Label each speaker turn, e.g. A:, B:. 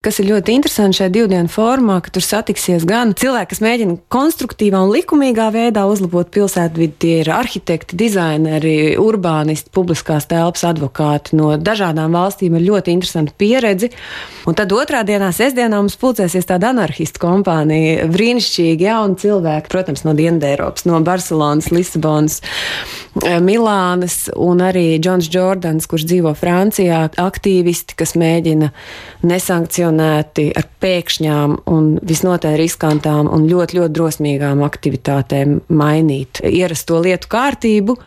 A: Kas ir ļoti interesanti šajā 2 dienu formā, ka tur satiksies gan cilvēki, kas mēģina konstruktīvā un likumīgā veidā uzlabot pilsētvidi, tie ir arhitekti, dizaineri, urbānisti, publiskās telpas advokāti no dažādām valstīm ar ļoti interesantu pieredzi. Un tad 2. dienā, sestdienā mums pulcēsies tāda anarchistu kompānija, brīnišķīgi jauni cilvēki, protams, no Dienvideiropas, no Barcelonas, Lisabonas, Milānas un arī Džons Džordans, kurš dzīvo Francijā, aktīvisti, kas mēģina nesankcionēti ar pēkšņām un visnotaļ riskantām un ļoti, ļoti drosmīgām aktivitātēm mainīt ierasto lietu kārtību.